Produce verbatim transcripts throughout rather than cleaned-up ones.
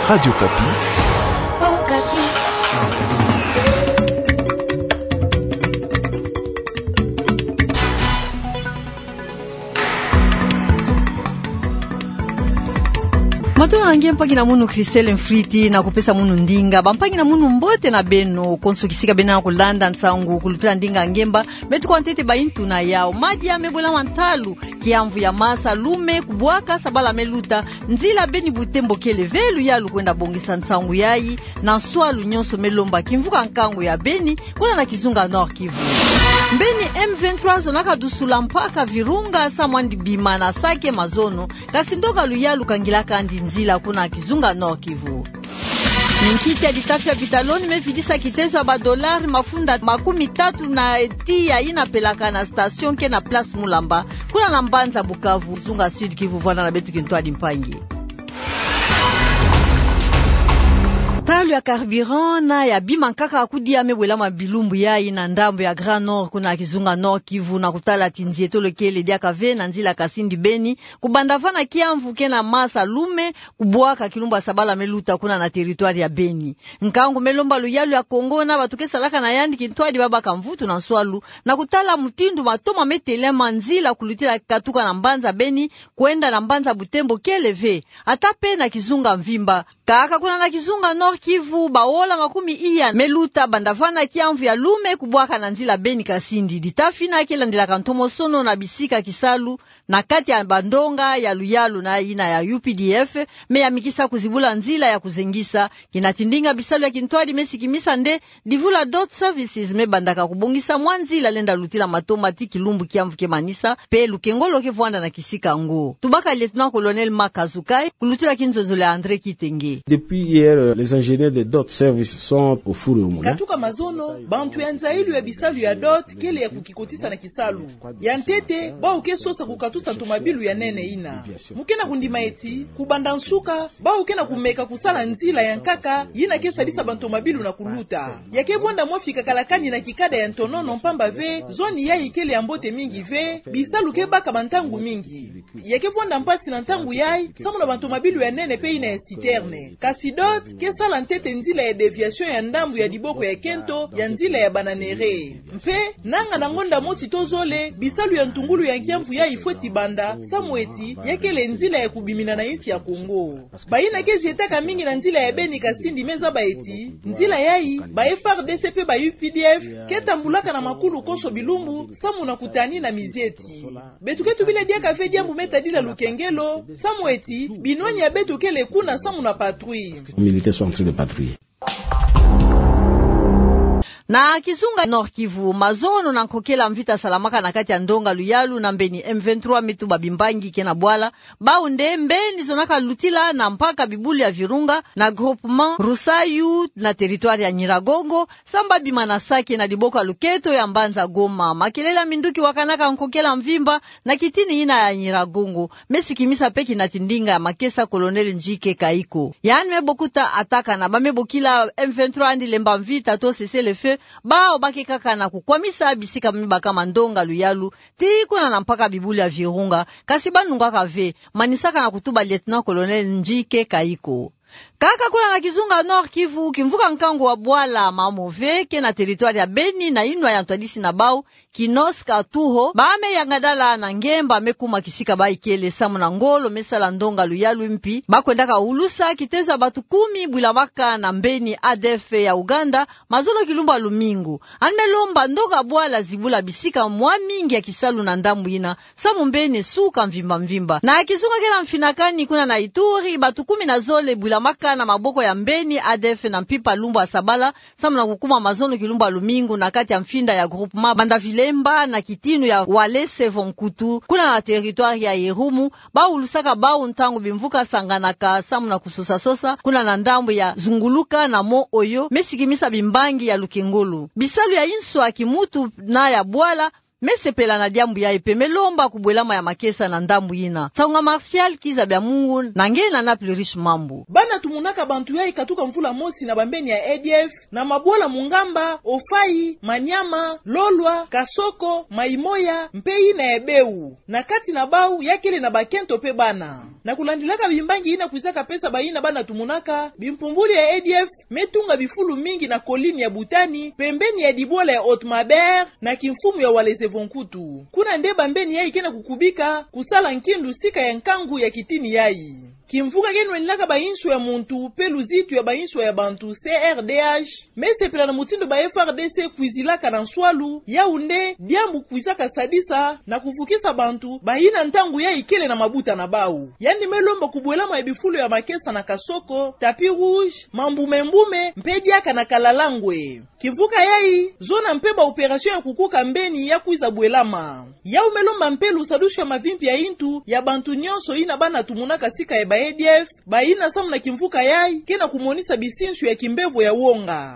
Radio Okapi. Matondo na nge mpangi na munu Christelle Mfriti, na kupesa munu ndinga. Bampangi na munu, mbote na beno konso kisika beno kulanda nsangu kulutila ndinga ngemba. Me tuka ntete baintu na yau. Madia mebwela ma ntalu, kiamvu ya masa, lume, kubwaka, sabala meluta, nzila Beni-Butembo kele ve luyalu kwenda bongisa nsangu yayi na nswalu nyonso, melomba kimvuka nkangu ya Beni, kuna na kizunga Nord-Kivu. Mbeni M vingt-trois zonaka dusula mpaka Virunga samu andi bima na Sake mazono, kasi ndonga luyalu kangilaka andi nzila kuna kizunga Nord-Kivu. Minkiki ya ditafi ya bitaloni mevidisa kitezo ya badolari mafunda makumi tatu na tiya yina pelaka na station ke na Place Mulamba, kuna na mbanza Bukavu, zunga Sud-Kivu. Vwanda na beto kintwadi, mpangi. Ntalu ya carburant na ya bima nkaka kudia mebwela ma bilumbu yayi na ndambu ya Grand Nord, kuna kizunga Nord-Kivu, na kutala ti nzietolo kele diaka ve na nzila Kasindi-Beni, kubanda vana kiamvu ke na masa, lume, kubwaka, kilumbu ya sabala meluta kuna na territoire ya Beni. Nkangu melomba luyalu ya Congo na bato ke salaka na yandi kintwadi babaka mvutu na nswalu, na kutala mutindu matoma metelema, nzila kulutila katuka na mbanza Beni kwenda na mbanza Butembo kele ve, ata pe na kizunga mvimba. Kaka kuna na kizunga Nord-Kivu, baola makumi iya meluta banda vana kiamvu ya lume kubwaka na nzila Beni-Kasindi. Ditafi yina ke landilaka ntomosono na bisika kisalu na kati ya bandonga ya luyalu na yina ya U P D F, me yamikisa kuzibula nzila ya kuzengisa. Kina ti ndinga bisalu ya kintwadi mesikimisa nde divula Dot Services mebandaka kubongisa mwa nzila lenda lutila matoma ti kilumbu kiamvu ke manisa, pe lukengolo ke vwanda na kisika yango. Tubaka Lieutenant-Colonel Marc Kazukai, kulutila kinzonzolo ya André Kitenge. Depuis hier, les ingénieurs de Dot Services sont au four et au moulin. Katuka mazono, bantu ya nzayilu ya bisalu ya Dot kele ya kukikotisa na kisalu. Ya ntete, bau ke sosa kukatusa ntomabilu ya nene yina. Mu ke na kundima eti, kubanda nsuka, bau ke na kumeka kusala nzila ya nkaka yina ke sadisa bantomabilu na kuluta. Ya ke bwanda mwa fika kalakani na kikada ya ntonono, mpamba ve zoni yayi kele ya mbote mingi ve, bisalu ke baka bantangu mingi. Ya ke bwanda mpasi na ntangu yayi samu na bantomabilu ya nene pe yina ya citerne. Kasi Dot ke sala ntete nzila ya déviation ya ndambu ya diboko ya kento ya nzila ya Bananéré. Mpe nanga na ngonda mosi to zole, bisalu ya ntungulu ya kiamvu yayi fweti banda, samu eti ya kele nzila ya kubimina na insi ya Congo. Bayina ke zietaka mingi na nzila ya Beni-Kasindi mezaba eti nzila yayi, ba F A R D C pe ba U P D F ke tambulaka na makulu konso bilumbu samu na kutani na mizieti. Beto ke tubila diaka ve diambu me tadila lukengelo, samu eti binwani ya beto kele kuna samu na patrouille. Militaires sont en train de patrouiller. Na kizunga Nord-Kivu, mazono na nkokela mvita salamaka na kati ya ndonga luyalu na mbeni M vingt-trois me tuba bimbangi ke na bwala. Bau nde mbeni zonaka lutila na mpaka bibulu ya Virunga na groupement Rusayu na territoire ya Nyiragongo, samu ba bima na Sake na diboko ya luketo ya mbanza Goma. Makelele ya minduki wakanaka nkokela mvimba na kitini yina ya Nyiragongo. Mesikimisa pe kina ti ndinga ya makesa Colonel Njike Kayiko. Yandi me bokuta atakana ba me bokila M vingt-trois andi lemba mvita to cessez-le-feu, bau ba ke kaka na kukwamisa bisika me baka mandonga luyalu, tii kuna na mpaka bibulu ya Virunga, kasi ba nungaka ve, manisaka na kutuba Lieutenant-Colonel Njike Kayiko. Kaka kuna na kizunga Nord-Kivu, kimvuka nkangu wa bwala Mamove ke na territoire ya Beni na inwa ya ntwadisi na bau, Kinoska Tuho, ba me yangadala na ngemba me kuma kisika ba ikele samu na ngolo me sala ndonga luyalu mpi ba kwendaka ulusa kitezo ya batu kumi bwilamaka na mbeni A D F ya Uganda, mazono kilumbu ya lumingu. Yandi me lomba ndonga bwala zibula bisika mwa mingi ya kisalu na ndambu yina, samu mbeni suka mvimba mvimba. Na kizunga ke na mfinakani kuna na Ituri, batu kumi na zole bwilamaka na maboko ya mbeni A D F na mpimpa lumbu ya sabala, samu na kukuma mazono kilumbu ya lumingu na kati ya mfinda ya groupement Banda Vilemba na kitinu ya Walese Vonkutu, kuna na territoire ya Irumu, ba ulusaka bau ntangu bimvuka sanganaka samu na kusosa-sosa kuna na ndambu ya Zunguluka na Mont Oyo, mesikimisa bimbangi ya lukengolo. Bisalu ya inswa kimutu na ya bwala Me sepela na diambu yayi mpe me lomba kubwelama ya makesa na ndambu yina. Nsangu ya Martial Kiza Byamungu na nge na Naples Riche Mambu. Bana tumunaka bantu yayi katuka mvula mosi na bambeni ya E D F, na mabwala Mungamba, Ofai, Maniama, Lolwa, Kasoko, Maimoya, mpe yina ya Beu. Na kati na bau, ya kele na bakento mpe bana. Na kulandilaka bimbangi yina kwizaka pesa bayina bana tumunaka, bimpumbuli ya E D F me tunga bifulu mingi na colline ya Butani, pembeni ya dibwala ya Haute Mabere, na kimfumu ya Walese Vonkutu. Kuna nde bambeni yayi ke na kukubika, kusala nkindu sika ya nkangu ya kitini yayi. Kimvuka ke nwenilaka bainswa ya muntu, mpe luzitu ya bainswa ya bantu, C R D H, me sepela na mutindu ba F A R D C kwizilaka na nswalu, yau nde diambu kwizaka sadisa na kuvukisa bantu bayina ntangu yayi kele na mabuta na bau. Yandi me lomba kubwelama ya bifulu ya makesa na Kasoko, tapis rouge, Mambume-mbume, mpe diaka na Kalalangwe. Kimvuka yayi, zona mpe ba opération ya kukuka mbeni ya kwiza bwelama. Yau me lomba mpe lusadusu ya mavimpi ya intu ya bantu nyonso yina bana tumunaka sika ya ba E D F, bayina samu na kimvuka yayi ke na kumonisa bisinsu ya kimbevo ya wonga.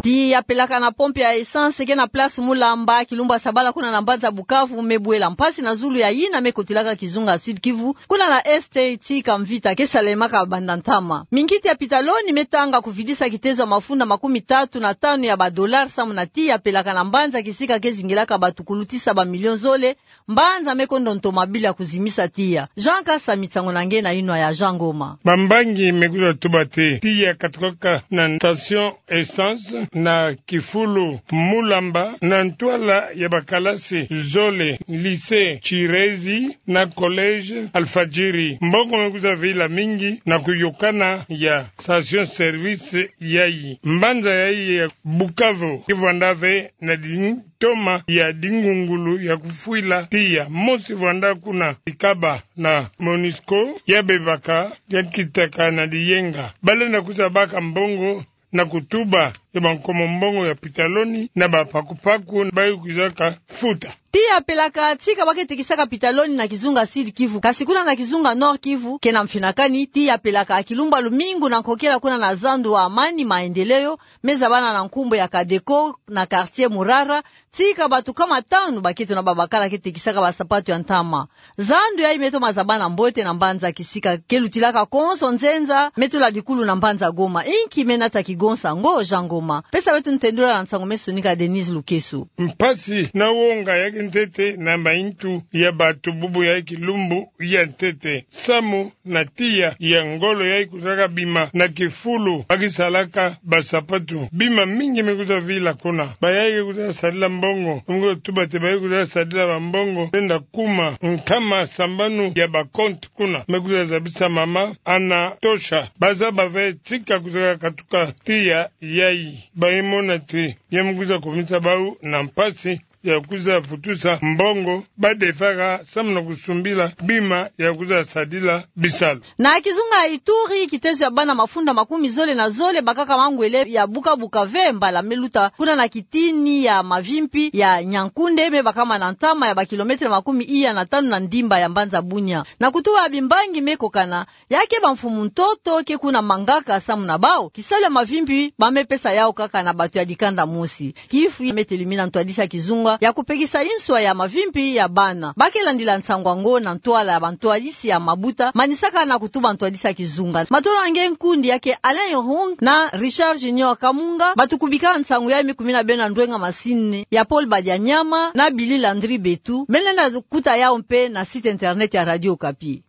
Tiya pelaka na pompe ya essence ke na place Mulamba, kilumbu ya sabala kuna na mbanza Bukavu, me bwela. Mpasi na zulu ya yina me kotilaka kizunga Sud-Kivu, kuna na Est, tika mvita ke salemaka banda ntama. Minkiti ya pitaloni me tanga kuvidisa kitezo ya mafunda makumi tatu na tanu ya ba dollars samu na tiya pelaka na mbanza kisika ke zingilaka batu kulutisa ba millions zole, mbanza me kondo ntomabili ya kuzimisa tiya. Jean Kasami, nsangu na nge na yinwa ya Jean Ngoma. Bambangi me kwiza tuba ti tiya katukaka na station essence na kifulu Mulamba, na ntwala ya bakalasi zole, lycée Chirezi na collège Alfajiri. Mbongo me kwiza vila mingi na kuyokana ya station service yayi. Mbanza yayi ya Bukavu ke vwanda ve na di- toma ya dingungulu ya kufwila tiya. Mosi vwanda kuna Ikaba na Monusco, ya bebaka, ya kitaka na diyenga. Balenda kwiza baka mbongo na kutuba ya bankomo mbongo ya pitaloni na bapakupaku bayi kwizaka futa. Tiya pelaka tika ba ke tekisaka pitaloni na kizunga Sud-Kivu, kasi kuna na kizunga Nord-Kivu ke na mfinakani. Tiya pelaka kilumbu ya lumingu na nkokela kuna na zandu wa Amani Maendeleo, me zabana na nkumbu ya Kadeco na quartier Murara, tika batu kama tanu bakento na babakala ke tekisaka basapatu ya ntama. Zandu yayi me toma zabana mbote na mbanza kisika ke lutilaka konso nzenza, me tula dikulu na mbanza Goma. Inki me nata kigonsa? Ngo Jean Ngoma. Pesa beto ntendula na nsangu me sonika Denise Lukeso. Mpasi na wonga ya kintete na maintu ya batu bubu ya kilumbu ya ntete. Samu na tiya ya ngolo yayi kwizaka bima na kifulu ba kisalaka basapatu. Bima mingi me kwiza vila kuna. Bayayi ke kwiza sadila mbongo, me kwiza tuba ti bayi kwiza sadila bambongo, benda kuma nkama sambanu ya bacompte kuna. Me kwiza zabisa mama Anatosha. Bazaba ve tika kwizaka katuka tiya yayi. Bayi mona ti ya me kwiza kumisa bau na mpasi ya kwiza futusa mbongo ba devaka samu na kusumbila bima ya kwiza sadila bisalu. Na kizunga Ituri, kitezo ya bana mafunda makumi zole na zole bakaka mangwele ya buka-buka ve mbala me luta kuna na kitini ya mavimpi ya Nyankunde, me bakama na ntama ya bakilometre makumi iya na tanu na ndimba ya mbanza Bunia. Na kutuba bimbangi me kokana, ya ke bamfumu ntoto ke kuna mangaka samu na bau kisalu ya mavimpi ba me pesa yau kaka na batu ya dikanda mosi. Kifu me telimina ntwadisi ya kizunga ya kupekisa inswa ya mavimpi ya bana. Ba ke landila nsangu yango na ntwala ya bantwadisi ya mabuta manisaka na kutuba ntwadisi ya kizunga. Matondo na nge nkundi ya ke Alain Yohong na Richard Junior Kamunga, batu kubika nsangu yayi. Me kumina beno na ndwenga masini ya Paul Badianyama na Billy Landry Betu. Beno lenda kuta yau mpe na site internet ya Radio Okapi.